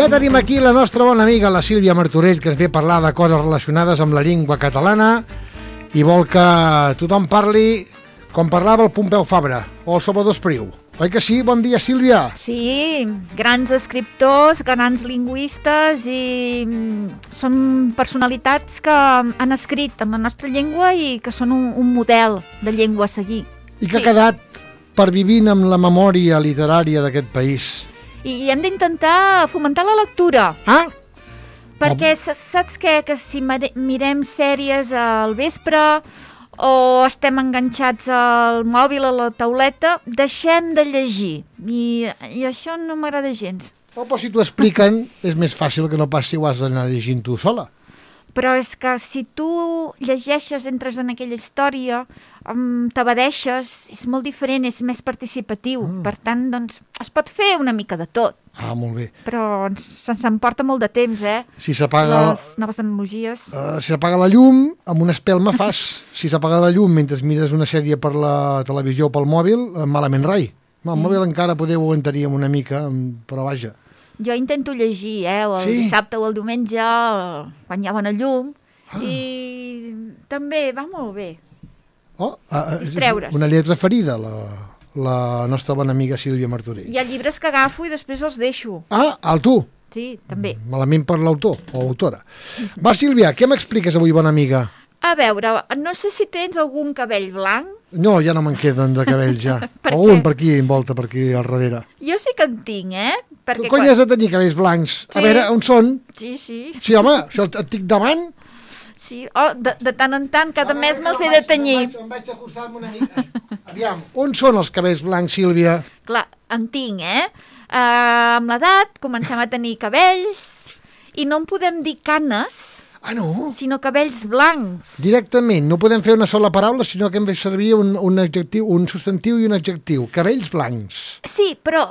Ja tenim aquí la nostra bona amiga, la Sílvia Martorell, que ens ve a parlar de coses relacionades amb la llengua catalana i vol que tothom parli com parlava el Pompeu Fabra o el Salvador Espriu. Oi que sí? Bon dia, Sílvia. Sí, grans escriptors, grans lingüistes i són personalitats que han escrit en la nostra llengua i que són un model de llengua a seguir. I que ha quedat pervivint amb la memòria literària d'aquest país. I hem d'intentar fomentar la lectura. Ah? Perquè saps què? Que si mirem sèries al vespre o estem enganxats al mòbil, a la tauleta, deixem de llegir. I això no m'agrada gens. Però si t'ho expliquen, és més fàcil que no pas si ho has d'anar llegint tu sola. Però és que si tu llegeixes, entres en aquella història, t'abadeixes, és molt diferent, és més participatiu. Per tant, doncs, es pot fer una mica de tot. Ah, molt bé. Però se'ns emporta molt de temps, Si s'apaga les noves tecnologies. Si s'apaga la llum, amb una espelma fas. Si s'apaga la llum mentre mires una sèrie per la televisió o pel mòbil, malament rai. El mòbil encara poder ho aguantaríem una mica, però vaja. Jo intento llegir, el dissabte o el diumenge, quan hi ha bona llum, i també va molt bé. Distreure's. Una lletra ferida, la nostra bona amiga Sílvia Martorell. Hi ha llibres que agafo i després els deixo. Ah, tu? Sí, també. Malament per l'autor o autora. Va, Sílvia, què m'expliques avui, bona amiga? A veure, no sé si tens algun cabell blanc. No, ja no me'n queden de cabell, ja. Algun per aquí, envolta, per aquí al darrere. Jo sí que en tinc, Perquè cony has de tenir cabells blancs? Sí. A veure, on són? Sí. Sí, home, això et tinc davant? Sí, de tant en tant, cada mes me'ls he de tenyir. Em vaig acostar-me una mica. Aviam, on són els cabells blancs, Sílvia? Clar, en tinc, amb l'edat comencem a tenir cabells i no en podem dir canes, sinó cabells blancs. Directament, no podem fer una sola paraula, sinó que hem de servir un adjectiu, un substantiu i un adjectiu. Cabells blancs. Sí, però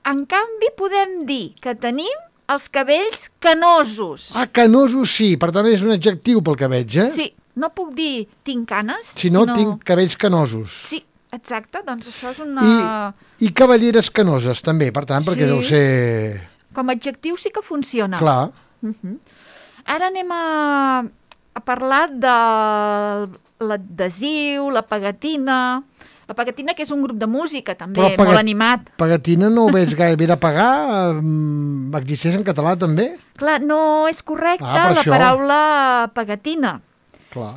en canvi podem dir que tenim els cabells canosos. Ah, canosos sí, per tant és un adjectiu pel que veig, Sí, no puc dir tinc canes, sinó tinc cabells canosos. Sí, exacte, doncs això és una... I cavalleres canoses també, per tant, perquè deu ser... Com a adjectiu sí que funciona. Clar. Ara anem a parlar de l'adhesiu, la pegatina... La pegatina, que és un grup de música, també, molt animat. Pegatina no ho veig gaire bé de pagar? Existeix en català, també? Clar, no és correcta la paraula pegatina,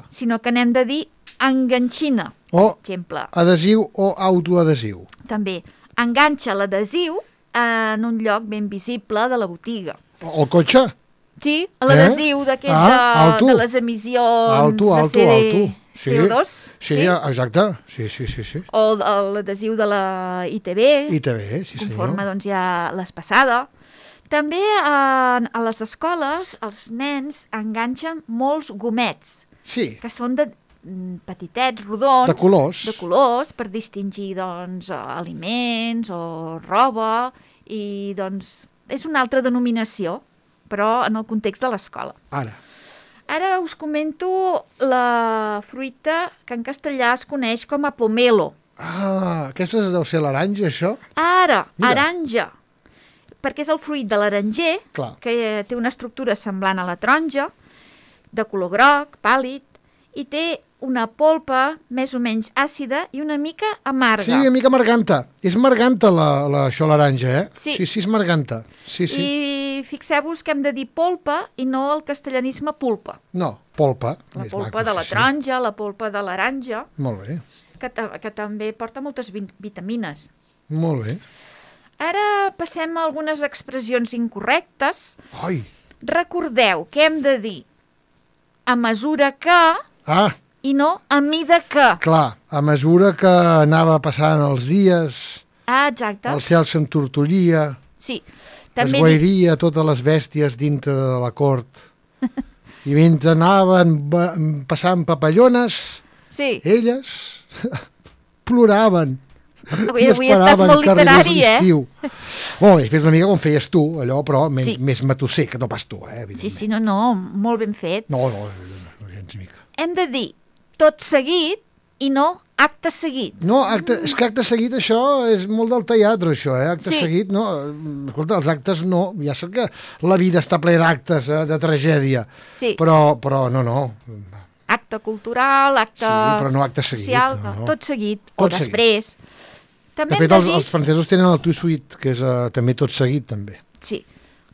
sinó que n'hem de dir enganxina, per exemple. Adhesiu o autoadhesiu. També. Enganxa l'adhesiu en un lloc ben visible de la botiga. O el cotxe? Sí, l'adhesiu d'aquest de les emissions de CD. CO2? Sí, exacte. Sí. O l'adhesiu de la ITV. ITV, sí senyor. Conforme doncs ja l'has passada. També a les escoles els nens enganxen molts gomets. Sí. Que són de petitets, rodons. De colors. De colors, per distingir doncs aliments o roba. I doncs és una altra denominació, però en el context de l'escola. Ara us comento la fruita que en castellà es coneix com a pomelo. Ah, aquesta deu ser l'aranja, això? Aranja. Perquè és el fruit de l'aranger, que té una estructura semblant a la taronja, de color groc, pàl·lid, i té una polpa més o menys àcida i una mica amarga. Sí, una mica amarganta. És amarganta això, l'aranja, Sí, és amarganta. Sí. I fixeu-vos que hem de dir polpa i no el castellanisme pulpa. No, polpa. La polpa de la taronja, la polpa de l'aranja. Molt bé. Que també porta moltes vitamines. Molt bé. Ara passem a algunes expressions incorrectes. Ai! Recordeu que hem de dir a mesura que... i no a mida que. Clar, a mesura que anava passant els dies... exacte. El cel s'entortollia... Sí. Es guairia totes les bèsties dintre de la cort. I mentre anaven passant papallones, elles ploraven. Avui estàs molt literari, Molt bé, fes una mica com feies tu, allò, però més matusser, que no pas tu, Sí, no, molt ben fet. No, gens mica. Hem de dir tot seguit i no acte seguit. No, és que acte seguit això és molt del teatre, això, acte seguit, no. Escolta, els actes no, ja sé que la vida està ple d'actes, de tragèdia, però no. Acte cultural, acte... Sí, però no acte seguit. Social, tot seguit, o després. De fet, els francesos tenen el tout suite, que és també tot seguit, també. Sí,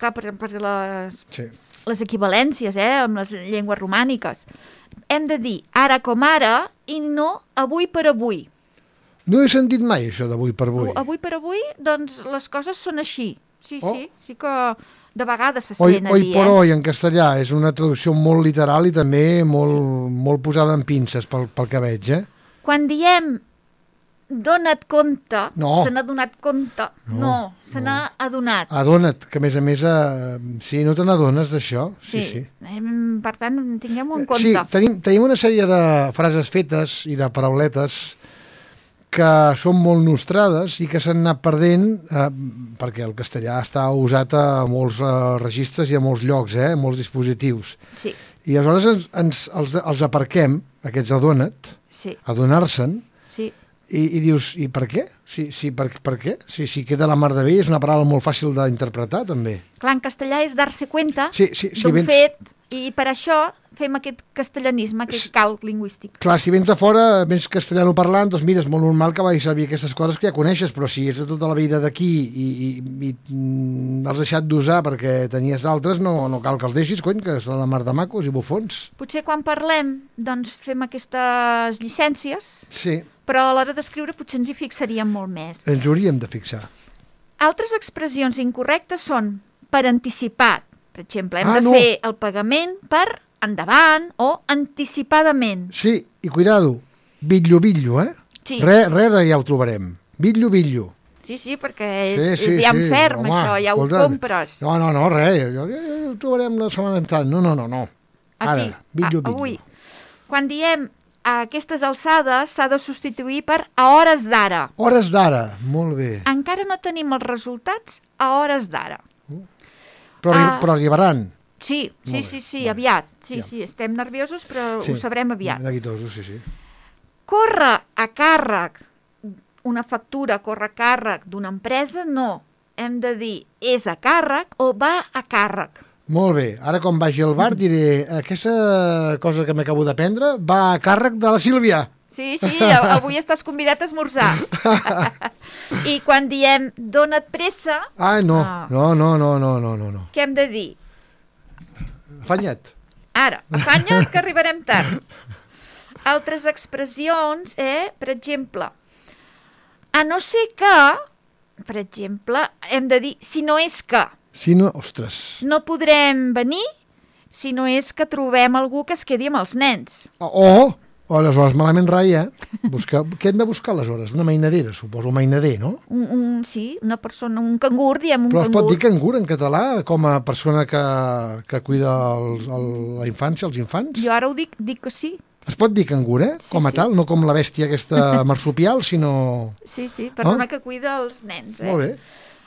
clar, perquè les equivalències, amb les llengües romàniques. Hem de dir ara com ara i no avui per avui. No he sentit mai això d'avui per avui. Avui per avui, doncs les coses són així. Sí que de vegades se sent a dir. Hoy por hoy, en castellà, és una traducció molt literal i també molt posada en pinces pel que veig, Quan diem dona't compte, se n'ha donat compte, se n'ha adonat. Adona't, que a més, sí, no te n'adones d'això. Sí. Per tant, tinguem-ho en compte. Sí, tenim una sèrie de frases fetes i de parauletes que són molt nostrades i que s'han anat perdent perquè el castellà està usat a molts registres i a molts llocs, a molts dispositius. Sí. I aleshores els aparquem, aquests adona't, adonar-se'n, i dius, i per què? Per què? Si queda la mar de bé, és una paraula molt fàcil d'interpretar, també. Clar, en castellà és dar-se compte d'un fet, i per això fem aquest castellanisme, aquest calc lingüístic. Clar, si vens de fora, vens castellano parlant, doncs mira, és molt normal que vagis a servir aquestes coses que ja coneixes, però si és de tota la vida d'aquí i has deixat d'usar perquè tenies d'altres, no cal que els deixis, cony, que són la mar de macos i bufons. Potser quan parlem, doncs fem aquestes llicències, però a l'hora d'escriure potser ens hi fixaríem molt més. Ens hauríem de fixar. Altres expressions incorrectes són per anticipat. Per exemple, hem de fer el pagament per endavant o anticipadament. Sí, i cuidado, bitllo, Sí. Re de ja ho trobarem. Bitllo. Sí, perquè és ja en ferm, això, ja ho compres. No, res, ja ho trobarem la setmana entrant. No. Ara, bitllo. Avui, quan diem a aquestes alçades, s'ha de substituir per a hores d'ara. Hores d'ara, molt bé. Encara no tenim els resultats a hores d'ara. Però arribaran. Sí, aviat. Sí, estem nerviosos, però ho sabrem aviat. Neguitosos, sí. Corre a càrrec, una factura corre a càrrec d'una empresa, no. Hem de dir és a càrrec o va a càrrec. Molt bé. Ara quan vagi al bar diré aquesta cosa que m'acabo d'aprendre va a càrrec de la Sílvia. Sí, avui estàs convidat a esmorzar. I quan diem dona't pressa... No. Què hem de dir? Afanya't. Ara, afanya't que arribarem tard. Altres expressions, per exemple, a no ser que, per exemple, hem de dir si no és que. Si no, ostres. No podrem venir si no és que trobem algú que es quedi amb els nens. Aleshores, malament rai, Què hem de buscar, aleshores? Una mainadera, suposo, mainader, no? Sí, una persona, un cangur, diem un cangur. Però es pot dir cangur en català, com a persona que cuida la infància, els infants? Jo ara ho dic que sí. Es pot dir cangur, com a tal, no com la bèstia aquesta marsupial, sinó... Sí, persona que cuida els nens, Molt bé.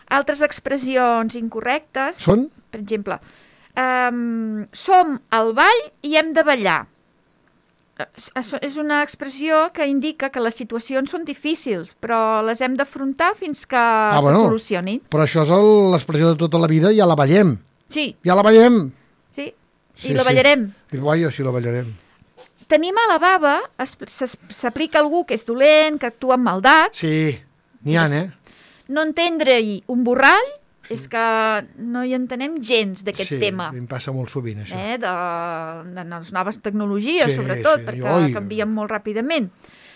Altres expressions incorrectes... Són? Per exemple, som al ball i hem de ballar. És una expressió que indica que les situacions són difícils, però les hem d'afrontar fins que se solucionin. Però això és l'expressió de tota la vida, ja la ballem. Sí. Ja la ballem. Sí, la ballarem. Sí, la ballarem. Tenim a la baba, s'aplica algú que és dolent, que actua amb maldat. Sí, n'hi ha, No entendre-hi un borrall, és que no hi entenem gens d'aquest tema. Sí, em passa molt sovint, això. De les noves tecnologies, sobretot, perquè canvien molt ràpidament.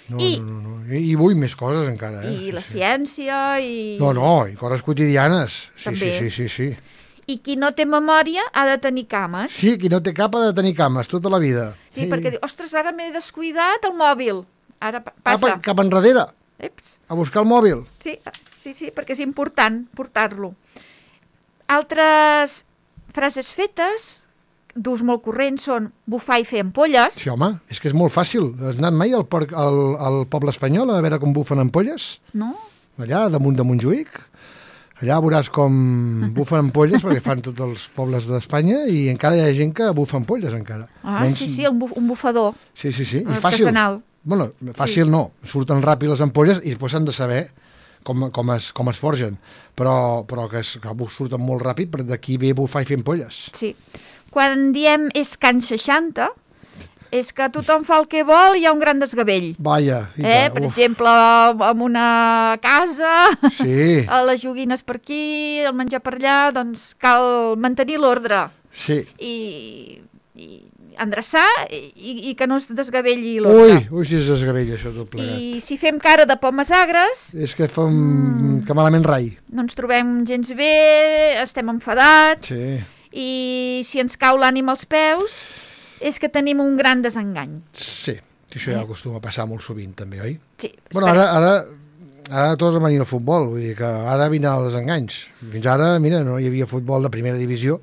No. I vull més coses, encara. I la ciència, i... No, i coses quotidianes. També. Sí. I qui no té memòria ha de tenir cames. Sí, qui no té cap ha de tenir cames, tota la vida. Sí, perquè diu, ostres, ara m'he descuidat el mòbil. Ara passa. Cap enrere. A buscar el mòbil. Sí, perquè és important portar-lo. Altres frases fetes d'ús molt corrent són bufar i fer ampolles. Sí, home, és que és molt fàcil. Has anat mai al poble espanyol a veure com bufen ampolles? No. Allà, damunt de Montjuïc. Allà veuràs com bufen ampolles, perquè fan tots els pobles d'Espanya, i encara hi ha gent que bufa ampolles, encara. Sí, un bufador. Sí. I artesanal. Bueno, fàcil no, surten ràpid les ampolles i després s'han de saber com es forgen, però que surten molt ràpid, però d'aquí ve bufar i fer ampolles. Sí. Quan diem és Can 60, és que tothom fa el que vol i hi ha un gran desgavell. Vaja. Per exemple, en una casa, sí. Les joguines per aquí, el menjar per allà, doncs cal mantenir l'ordre. Sí. I endreçar i que no es desgavelli l'ordre. Ui, si es desgavella això tot plegat. I si fem cara de pomes agres... És que que malament rai. No ens trobem gens bé, estem enfadats, sí. I si ens cau l'ànim als peus... és que tenim un gran desengany. Sí, això ja acostuma a passar molt sovint, també, oi? Sí. Bueno, ara torna a venir el futbol, vull dir que ara vindran els desenganys. Fins ara, mira, no hi havia futbol de primera divisió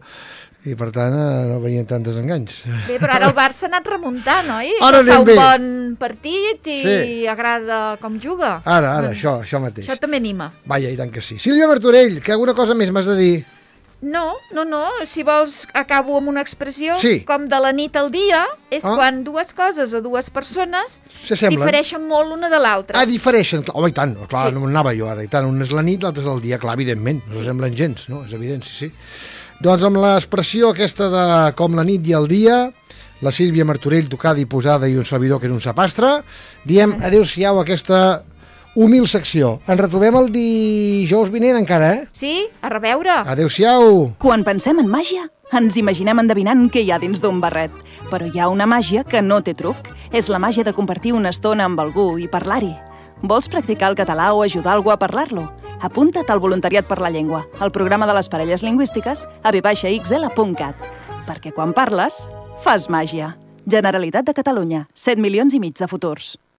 i, per tant, no venien tants desenganys. Bé, però ara el Barça ha anat remuntant, oi? Ara fa un bon partit i agrada com juga. Ara, això mateix. Això també anima. Vaja, i tant que sí. Sílvia Martorell, que alguna cosa més m'has de dir? No, si vols acabo amb una expressió, sí. Com de la nit al dia, és quan dues coses o dues persones difereixen molt l'una de l'altra. Difereixen, home, i tant, clar, sí. No anava jo ara, i tant, un és la nit, l'altre és el dia, clar, evidentment, no semblen gens, no? És evident, sí. Doncs amb l'expressió aquesta de com la nit i el dia, la Sílvia Martorell tocada i posada i un servidor que és un sapastre, diem adéu-siau a aquesta humil secció. Ens retrobem el dijous vinent encara, Sí, a reveure. Adéu-siau. Quan pensem en màgia, ens imaginem endevinant què hi ha dins d'un barret. Però hi ha una màgia que no té truc. És la màgia de compartir una estona amb algú i parlar-hi. Vols practicar el català o ajudar algú a parlar-lo? Apunta't al Voluntariat per la Llengua, al programa de les parelles lingüístiques a v-xl.cat. Perquè quan parles, fas màgia. Generalitat de Catalunya, 7,5 milions de futurs.